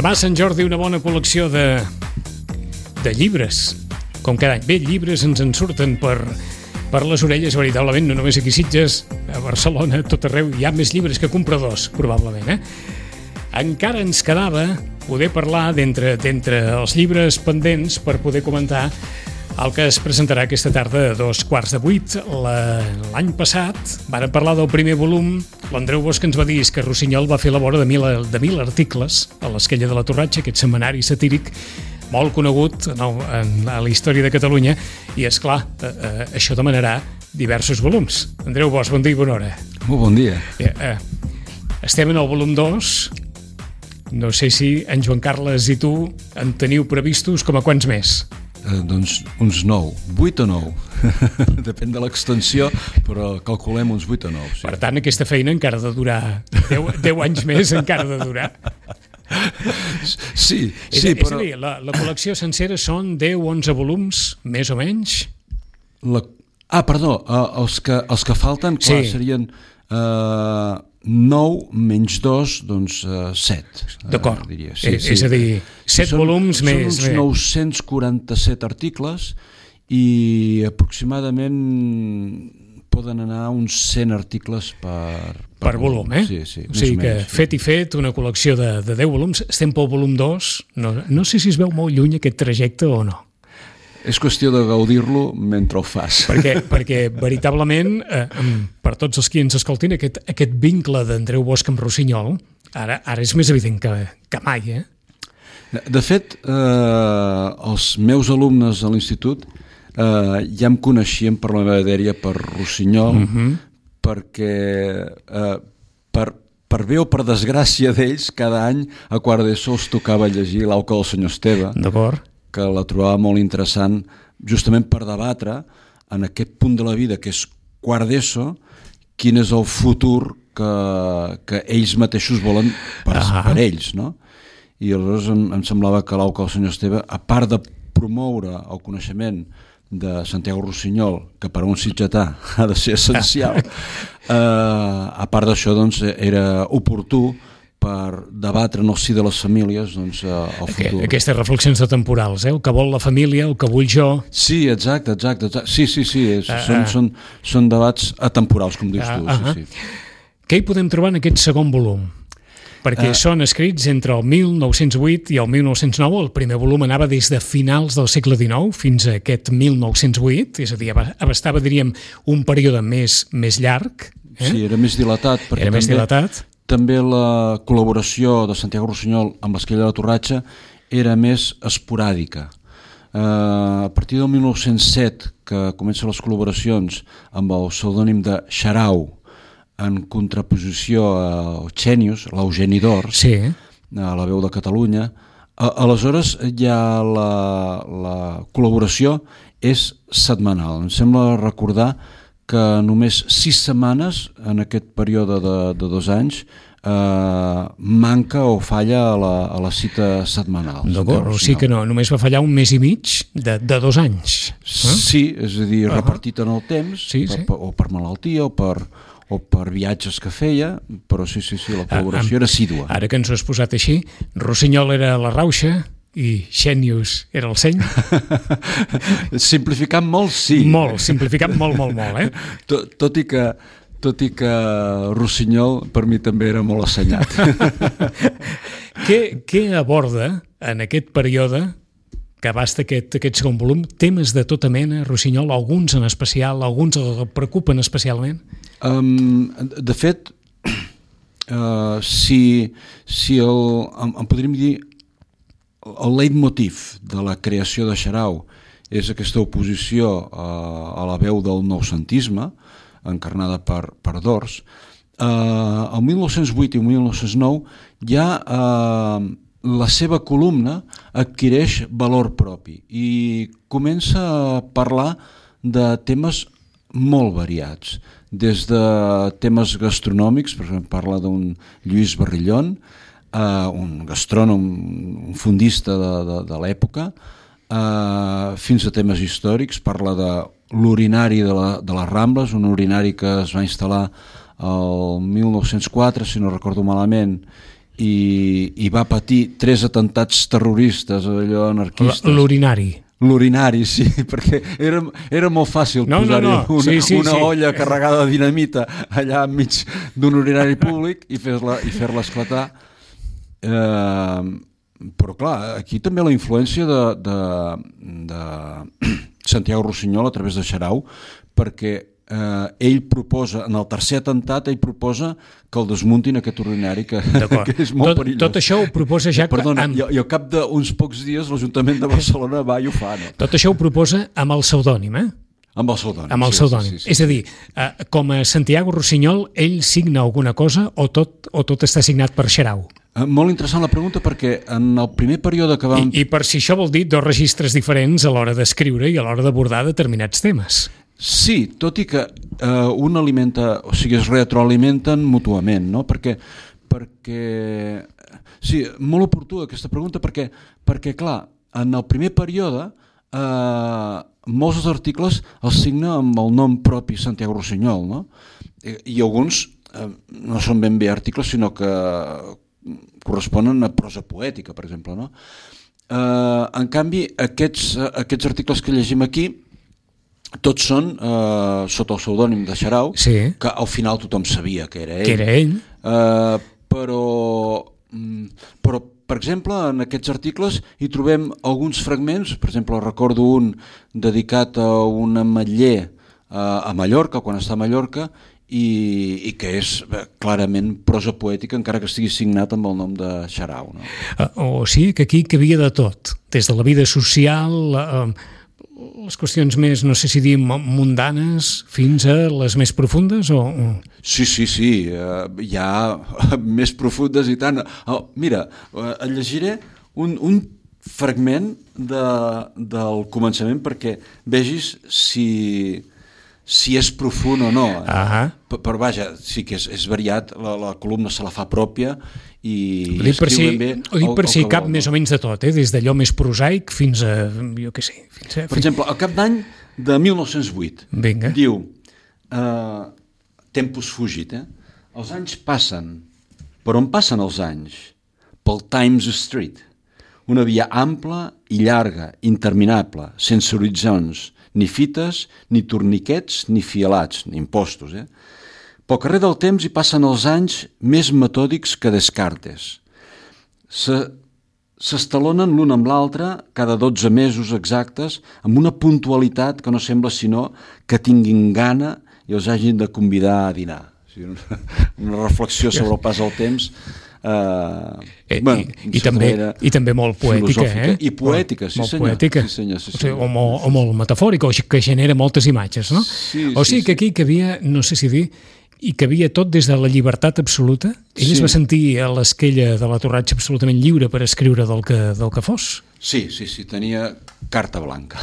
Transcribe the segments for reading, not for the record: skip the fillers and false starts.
Demà Sant Jordi una bona col·lecció de llibres, com cada any. Bé, llibres ens en surten per les orelles, veritablement, no només aquí a Sitges, a Barcelona, a tot arreu, hi ha més llibres que compradors, probablement, Encara ens quedava poder parlar d'entre els llibres pendents per poder comentar el que es presentarà aquesta tarda a 7:15. L'any passat vàrem parlar del primer volum. L'Andreu Bosch ens va dir que Rossinyol va fer la vora de 1.000 articles a l'Esquella de la Torratxa, aquest setmanari satíric molt conegut a la història de Catalunya, i és clar, això demanarà diversos volums. Andreu Bosch, bon dia i bona hora. Molt bon dia. Estem en el volum 2. No sé si en Joan Carles i tu en teniu previstos com a quants més? Doncs uns 9, 8 o 9. Depèn de l'extensió, però calculem uns 8 o 9. Sí. Per tant, aquesta feina encara ha de durar 10 anys més, encara ha de durar. Sí, És però... a dir, la col·lecció sencera són 10-11 volums, més o menys? Els que falten, clar, serien 9 menys 2, doncs 7. D'acord, diria. És a dir, 7 volums més... Són uns 947 articles i aproximadament poden anar uns 100 articles per volum, Sí, o sigui que fet, una col·lecció de 10 volums. Estem pel volum 2. No sé si es veu molt lluny aquest trajecte o no. És qüestió de gaudir-lo mentre ho fas. Perquè veritablement, per tots els qui ens escoltin, aquest vincle d'Andreu Bosch amb Rossinyol, ara és més evident que mai, De fet, els meus alumnes a l'institut ja em coneixien per la meva dèria per Rossinyol, perquè per bé o per desgràcia d'ells, cada any a quart d'ESO els tocava llegir l'Auca del senyor Esteve. D'acord. Que la trobava molt interessant justament per debatre en aquest punt de la vida que és quart d'ESO quin és el futur que ells mateixos volen per ells, no? I aleshores em semblava que l'Auca del senyor Esteve, a part de promoure el coneixement de Santiago Rossinyol, que per a un sitgetà ha de ser essencial, a part d'això doncs, era oportú per debatre en el si de les famílies doncs, el futur. Aquestes reflexions temporals, el que vol la família, el que vull jo... Sí, exacte. Sí, són debats atemporals, com dius tu. Sí. Què hi podem trobar en aquest segon volum? Perquè són escrits entre el 1908 i el 1909, el primer volum anava des de finals del segle XIX fins a aquest 1908, és a dir, abastava, diríem, un període més llarg. Sí, era més dilatat. Era més dilatat. També la col·laboració de Santiago Rossinyol amb l'Esquella de la Torratxa era més esporàdica. A partir del 1907, que comencen les col·laboracions amb el pseudònim de Xarau, en contraposició al Xènius, l'Eugeni d'Ors, a la veu de Catalunya, aleshores ja la col·laboració és setmanal. Em sembla recordar que només 6 setmanes en aquest període de 2 anys manca o falla a la cita setmanal. D'acord, o sigui que no, només va fallar un mes i mig de 2 anys. Sí, és a dir, repartit en el temps, o per malaltia o per viatges que feia, però sí, la col·laboració era assídua. Ara que ens ho has posat així, Rossinyol era la rauxa i Xènius era el seny. Simplificant molt, sí. Simplificant molt, Tot i que Rossinyol per mi també era molt assenyat. Què aborda en aquest període que abasta aquest segon volum? Temes de tota mena, Rossinyol, alguns en especial, alguns el preocupen especialment? De fet, si en podríem dir el leitmotiv de la creació de Xarau és aquesta oposició a la veu del noucentisme, encarnada per Dors, el 1908 i el 1909 ja la seva columna adquireix valor propi i comença a parlar de temes molt variats, des de temes gastronòmics, per exemple parla d'un Lluís Barrillon, un gastrònom, un fondista de l'època, fins a temes històrics, parla de l'urinari de les Rambles, un urinari que es va instal·lar el 1904, si no recordo malament, i va patir 3 atentats terroristes, allò anarquistes. L'urinari, sí, perquè era molt fàcil posar-hi una olla carregada de dinamita allà enmig d'un urinari públic i fer-la esclatar. Però clar, aquí també la influència de Santiago Rusiñol a través de Xarau, perquè ell proposa, en el tercer atemptat, ell proposa que el desmuntin aquest urinari, que és molt perillós. Tot això ho proposa ja... Perdona, i al cap d'uns pocs dies l'Ajuntament de Barcelona va i ho fa, no? Tot això ho proposa amb el pseudònim, Amb el pseudònim. Amb el pseudònim. Sí. És a dir, com a Santiago Rusiñol, ell signa alguna cosa o tot està signat per Xarau? Molt interessant la pregunta, perquè en el primer període que vam... I per si això vol dir 2 registres diferents a l'hora d'escriure i a l'hora d'abordar determinats temes. Sí, tot i que un alimenta, o sigui, es retroalimenten mútuament, no? Perquè sí, molt oportuna aquesta pregunta, perquè clar, en el primer període molts dels articles els signa amb el nom propi Santiago Rusiñol, no? I alguns no són ben bé articles, sinó que corresponen a prosa poètica, per exemple, no? En canvi, aquests articles que llegim aquí tots són sota el pseudònim de Xarau, sí, que al final tothom sabia que era ell. Que era ell. Però, per exemple, en aquests articles hi trobem alguns fragments, per exemple, recordo un dedicat a un ametller a Mallorca, quan està a Mallorca, i que és clarament prosa poètica, encara que estigui signat amb el nom de Xarau, no? O sigui que aquí hi havia de tot, des de la vida social... les qüestions més, no sé si dir, mundanes, fins a les més profundes? Sí, hi ha més profundes i tant. Mira, et llegiré un fragment del començament perquè vegis si és profund o no. Però vaja, sí que és variat, la columna se la fa pròpia i escriu ben bé. Ho dic per si cap més o menys de tot, des d'allò més prosaic fins a, jo què sé... Per exemple, al cap d'any de 1908, diu Tempus fugit, els anys passen, per on passen els anys? Pel Times Street, una via ampla i llarga, interminable, sense horitzons, ni fites, ni torniquets, ni fialats, ni impostos. Pel carrer del temps hi passen els anys més metòdics que Descartes. S'estalonen l'un amb l'altre cada 12 mesos exactes amb una puntualitat que no sembla sinó que tinguin gana i els hagin de convidar a dinar. Una reflexió sobre el pas del temps... I també molt poètica, i poètica, sí senyor, o molt metafòrica, o que genera moltes imatges, no? O sigui que aquí hi havia, no sé si dir, i que havia tot des de la llibertat absoluta. Ell es va sentir a l'esquella de la Torratxa absolutament lliure per escriure del que fos. Sí, tenia carta blanca.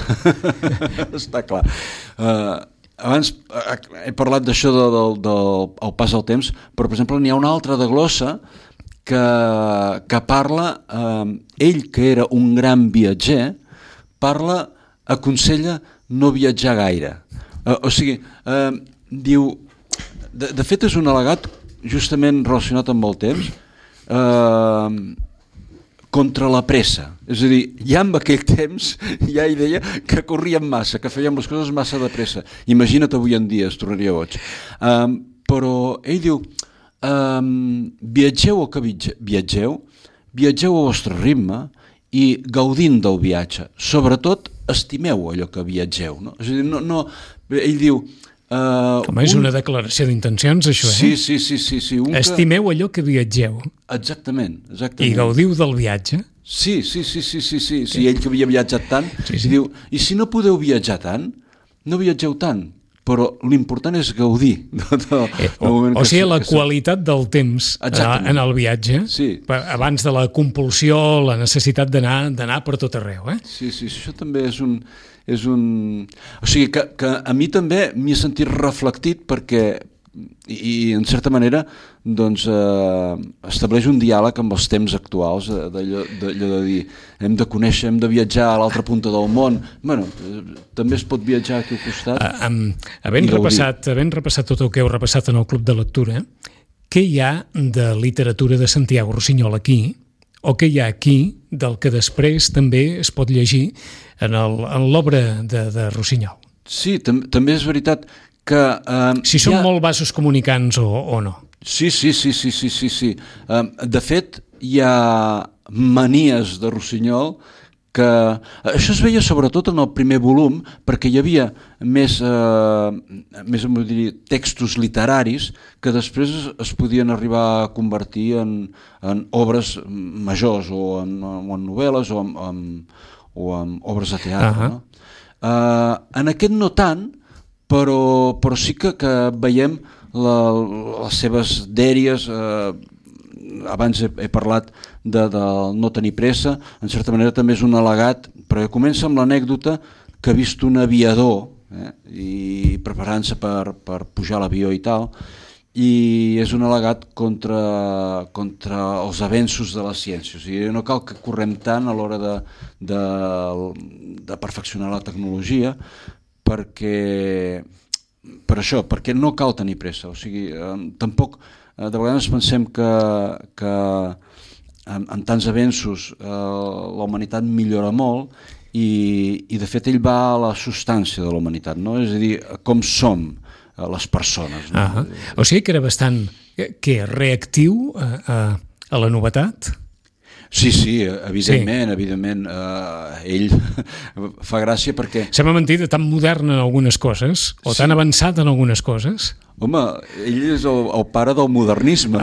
Està clar. Abans he parlat d'això del pas del temps, però per exemple n'hi ha una altra de glossa que parla, ell que era un gran viatger, aconsella no viatjar gaire. O sigui, diu, de fet és un al·legat justament relacionat amb el temps, contra la pressa. És a dir, ja en aquell temps ja hi deia que corríem massa, que fèiem les coses massa de pressa. Imagina't avui en dia, es tornaria boig. Però ell diu, viatgeu el que viatgeu al vostre ritme i gaudint del viatge. Sobretot, estimeu allò que viatgeu. No? És a dir, ell diu... és una declaració d'intencions, això, Sí. Estimeu allò que viatgeu. Exactament. I gaudiu del viatge. Sí. Ell que havia viatjat tant, diu, i si no podeu viatjar tant, no viatgeu tant. Però l'important és gaudir. O sigui, la qualitat del temps en el viatge, abans de la compulsió, la necessitat d'anar per tot arreu. Sí, això també és un... O sigui, que a mi també m'hi he sentit reflectit perquè, i en certa manera, doncs, estableix un diàleg amb els temps actuals, d'allò de dir, hem de conèixer, hem de viatjar a l'altra punta del món. Bueno, també es pot viatjar aquí al costat. Havent repassat tot el que heu repassat en el Club de Lectura, què hi ha de literatura de Santiago Rusiñol aquí, o què hi ha aquí del que després també es pot llegir en l'obra de Rusiñol? Sí, també és veritat que... Si són molt vasos comunicants o no. Sí. De fet, hi ha manies de Rusiñol que... Això es veia sobretot en el primer volum, perquè hi havia més textos literaris que després es podien arribar a convertir en obres majors, o en novel·les, o en obres de teatre. No? En aquest no tant, però sí que veiem les seves dèries. Abans he parlat del no tenir pressa, en certa manera també és un al·legat, perquè comença amb l'anècdota que ha vist un aviador i preparant-se per pujar a l'avió i tal, i és un al·legat contra els avenços de la ciència. O sigui, no cal que correm tant a l'hora de perfeccionar la tecnologia, perquè no cal tenir pressa. O sigui, tampoc de vegades pensem que amb tants avenços la humanitat millora molt, i de fet ell va a la substància de la humanitat, no? És a dir, com som les persones. No? O sigui que era bastant reactiu a la novetat? Sí, evidentment. Ell fa gràcia perquè... Sembla mentida, tan modern en algunes coses, o tan avançat en algunes coses. Home, ell és el pare del modernisme.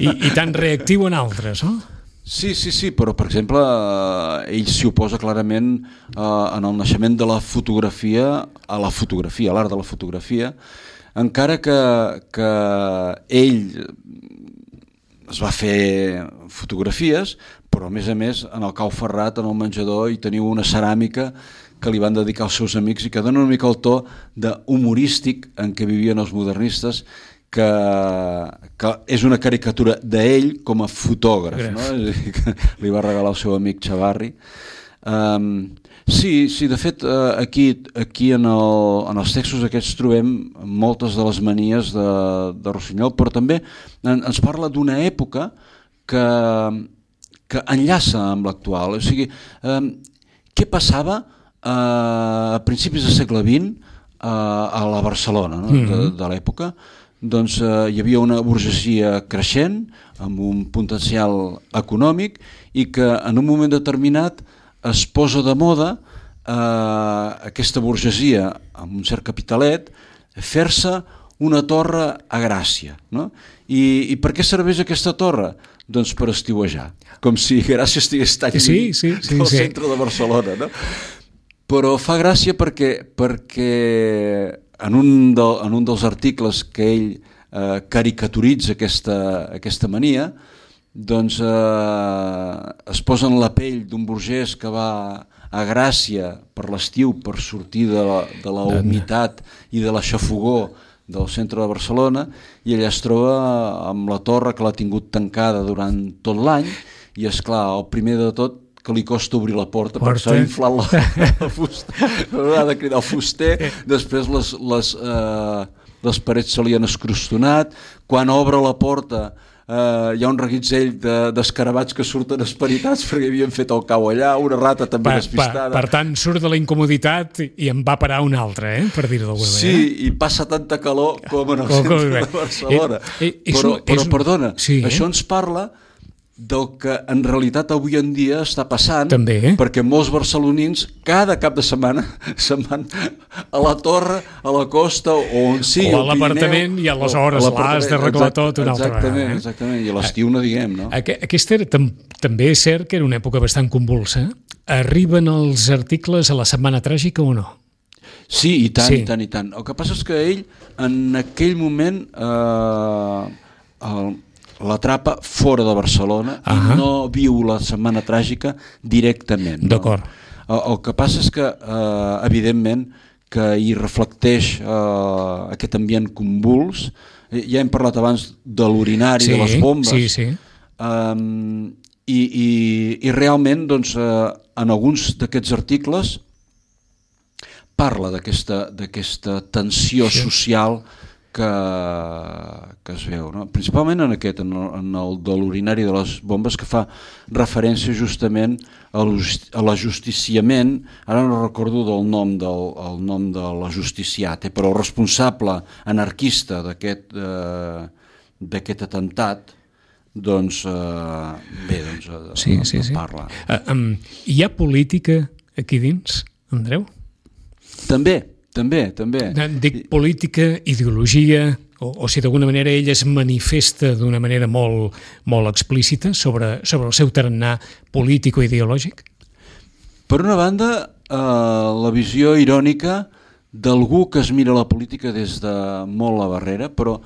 I tan reactiu en altres, no? Sí, però per exemple ell s'hi oposa clarament en el naixement de la fotografia a l'art de la fotografia, encara que ell es va fer fotografies, però a més en el cau ferrat, en el menjador, hi teniu una ceràmica que li van dedicar als seus amics i que dona una mica el to humorístic en què vivien els modernistes, que és una caricatura d'ell com a fotògraf, no? Que li va regalar el seu amic Chavarri. Sí, de fet, aquí en els textos aquests trobem moltes de les manies de Rusiñol, però també ens parla d'una època que enllaça amb l'actual. O sigui, què passava a principis del segle XX a la Barcelona, no? de l'època? Doncs hi havia una burgesia creixent, amb un potencial econòmic, i que en un moment determinat es posa de moda aquesta burgesia amb un cert capitalet fer-se una torre a Gràcia, no? I per què serveix aquesta torre? Doncs per estiuejar, com si Gràcia estigués tan lluny del centre de Barcelona, no? Però fa gràcia perquè en un dels articles que ell caricaturitza aquesta mania, doncs es posa en la pell d'un burgès que va a Gràcia per l'estiu per sortir de la humitat i de la xafogor del centre de Barcelona, i allà es troba amb la torre que l'ha tingut tancada durant tot l'any, i és clar, el primer de tot que li costa obrir la porta perquè s'ha inflat la fusta, ha de cridar el fuster, després les parets se li han escrostonat, quan obre la porta hi ha un reguitzell d'escarabats que surten esperitats perquè havien fet el cau allà, una rata també despistada. Per tant, surt de la incomoditat i en va parar una altra, per dir-ho d'alguna manera. Sí, i passa tanta calor com en el centre de Barcelona. Però perdona, això ens parla del que en realitat avui en dia està passant, perquè molts barcelonins cada cap de setmana se'n van a la torre, a la costa o on sigui, o a l'apartament, i aleshores l'has d'arreglar tot una altra vegada. Exactament, i a l'estiu no diguem, no? Aquesta també és cert que era una època bastant convulsa. Arriben els articles a la Setmana Tràgica o no? Sí, i tant, i tant, i tant. El que passa és que ell en aquell moment l'atrapa fora de Barcelona i no viu la Setmana Tràgica directament. D'acord. El que passa és que, evidentment, que hi reflecteix aquest ambient convuls. Ja hem parlat abans de l'urinari, de les bombes. I realment, doncs, en alguns d'aquests articles parla d'aquesta tensió social que es veu, no? Principalment en el de l'urinari de les bombes, que fa referència justament a l'ajusticiament, ara no recordo el nom de l'ajusticiat, però el responsable anarquista d'aquest atemptat, doncs parla. Hi ha política aquí dins, Andreu? També. Dic política, ideologia, o si d'alguna manera ell es manifesta d'una manera molt, molt explícita sobre el seu tarannà polític o ideològic? Per una banda, la visió irònica d'algú que es mira la política des de molt a barrere, però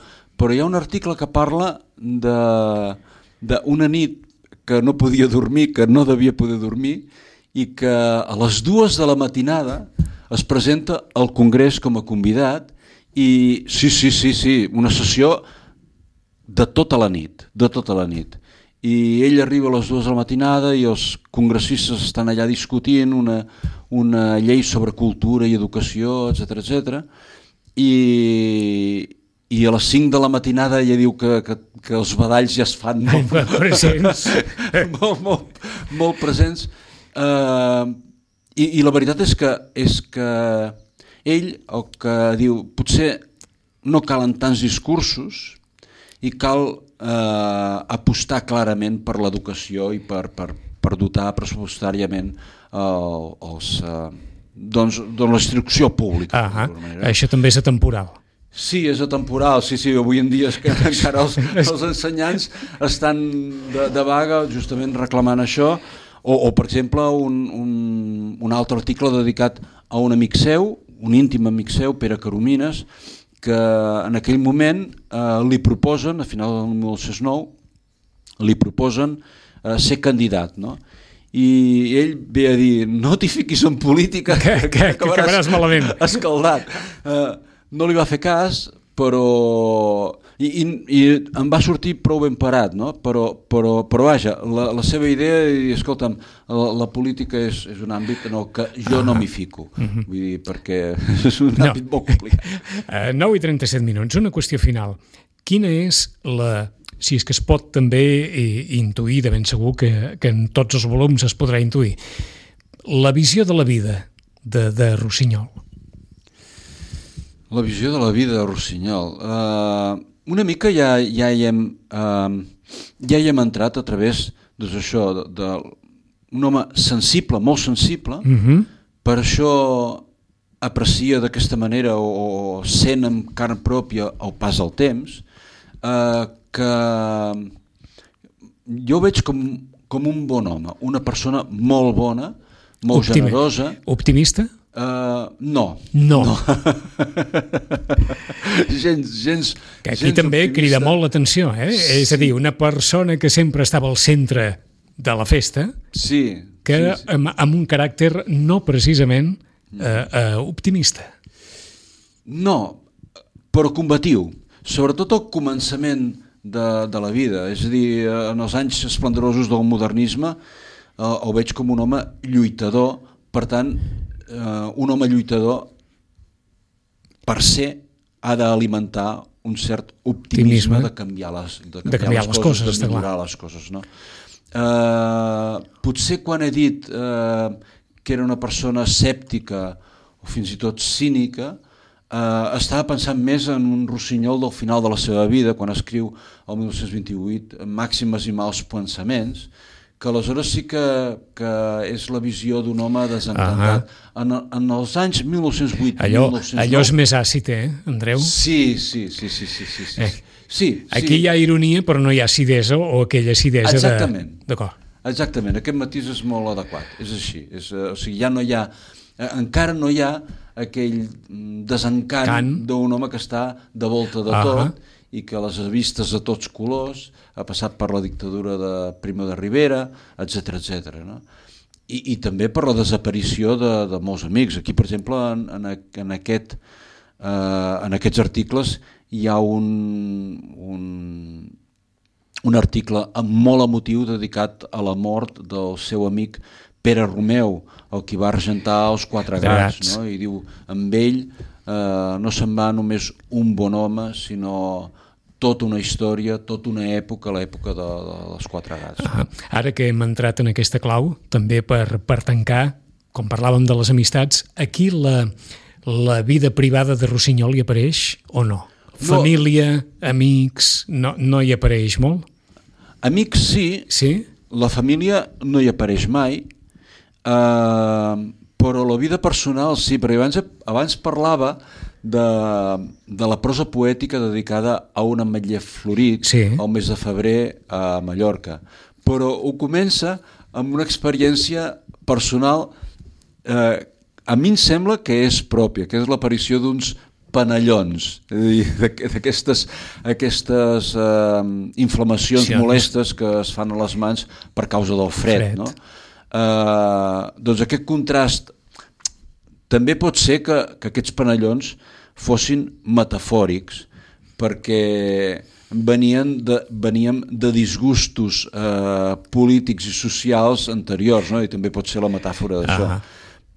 hi ha un article que parla d'una nit que no podia dormir, que no devia poder dormir, i que a les 2 de la matinada es presenta al Congrés com a convidat i sí, una sessió de tota la nit. I ell arriba a les 2 de la matinada i els congressistes estan allà discutint una llei sobre cultura i educació, etc. I a les 5 de la matinada ella diu que els badalls ja es fan molt presents. molt presents. I la veritat és que ell el que diu, potser no calen tants discursos i cal apostar clarament per l'educació i per dotar pressupostàriament la instrucció pública. Això també és atemporal. Sí, és atemporal, sí, avui en dia és que encara els ensenyants estan de vaga justament reclamant això. O per exemple, un altre article dedicat a un amic seu, un íntim amic seu, Pere Caromines, que en aquell moment li proposen, a final del 1909, li proposen ser candidat, no? I ell ve a dir, no t'hi fiquis en política, que acabaràs malament. Escaldat. No li va fer cas, però... I em va sortir prou ben parat, no? Però vaja, la seva idea, i escolta'm, la política és un àmbit en el que jo no m'hi fico, vull dir, perquè és un àmbit molt complicat. 9:37, una qüestió final. Quina és si és que es pot també intuir, de ben segur que en tots els volums es podrà intuir, la visió de la vida de Rossinyol? La visió de la vida de Rossinyol... Una mica ja hi hem entrat a través d'un home sensible, molt sensible, per això aprecia d'aquesta manera o sent amb carn pròpia el pas del temps, que jo veig com un bon home, una persona molt bona, molt generosa. Optimista? No. gens que aquí també optimista. Crida molt l'atenció, Sí. És a dir, una persona que sempre estava al centre de la festa, amb un caràcter no precisament optimista. No, però combatiu, sobretot al començament de la vida, és a dir, en els anys esplendorosos del modernisme el veig com un home lluitador, per tant, un home lluitador per ser ha d'alimentar un cert optimisme de canviar les coses, de millorar les coses, no? Potser quan he dit que era una persona escèptica o fins i tot cínica, estava pensant més en un Rossinyol del final de la seva vida, quan escriu el 1928 Màximes i mals pensaments, que aleshores sí que és la visió d'un home desencantat. En els anys 1908-1909... Allò és més àcid, Andreu? Sí. Aquí hi ha ironia, però no hi ha acidesa o aquella acidesa de... Exactament. D'acord. Exactament, aquest matís és molt adequat, és així. O sigui, ja no hi ha... Encara no hi ha aquell desencant d'un home que està de volta de tot i que les ha vistes a tots colors, ha passat per la dictadura de Primo de Rivera, etc. No? I també per la desaparició de molts amics. Aquí, per exemple, en aquests articles hi ha un article molt emotiu dedicat a la mort del seu amic Pere Romeu, el qui va argentar els 4 gats, no? I diu, amb ell no se'n va només un bon home, sinó tota una història, tota una època, l'època de les Quatre Gats. Ara que hem entrat en aquesta clau, també per tancar, com parlàvem de les amistats, aquí la vida privada de Rossinyol hi apareix o no? Família, amics, no hi apareix molt? Amics sí, la família no hi apareix mai, però la vida personal sí, perquè abans parlava de la prosa poètica dedicada a un ametller florit al mes de febrer a Mallorca, però ho comença amb una experiència personal a mi em sembla que és pròpia, que és l'aparició d'uns panellons, d'aquestes inflamacions molestes que es fan a les mans per causa del fred. No? Doncs aquest contrast també pot ser que aquests panellons fossin metafòrics, perquè veníem de disgustos polítics i socials anteriors, no? I també pot ser la metàfora d'això.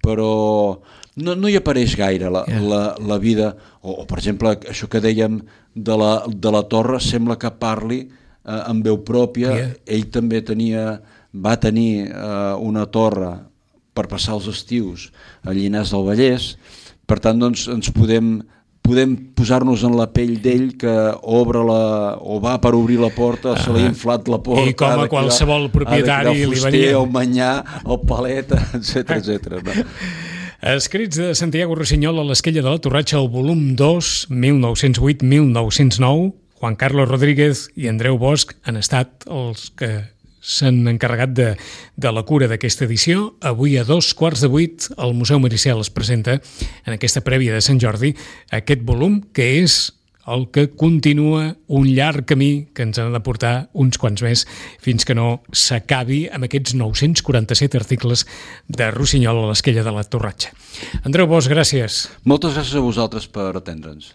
Però no hi apareix gaire la vida, o per exemple això que dèiem de la Torre, sembla que parli amb veu pròpia. Ell també va tenir una torre per passar els estius a Llinars del Vallès, per tant doncs ens podem posar-nos en la pell d'ell que o va per obrir la porta, se li ha inflat la porta, i com a qualsevol propietari li venia el manyà, el palet, etc. No? Escrits de Santiago Rossinyol a l'Esquella de la Torratxa, el volum 2, 1908-1909, Juan Carlos Rodríguez i Andreu Bosch han estat els que s'han encarregat de la cura d'aquesta edició. Avui a 7:15 el Museu Maricel es presenta en aquesta prèvia de Sant Jordi aquest volum que és el que continua un llarg camí que ens han de portar uns quants més fins que no s'acabi amb aquests 947 articles de Rossinyol a l'Esquella de la Torratxa. Andreu Bosch, gràcies. Moltes gràcies a vosaltres per atendre'ns.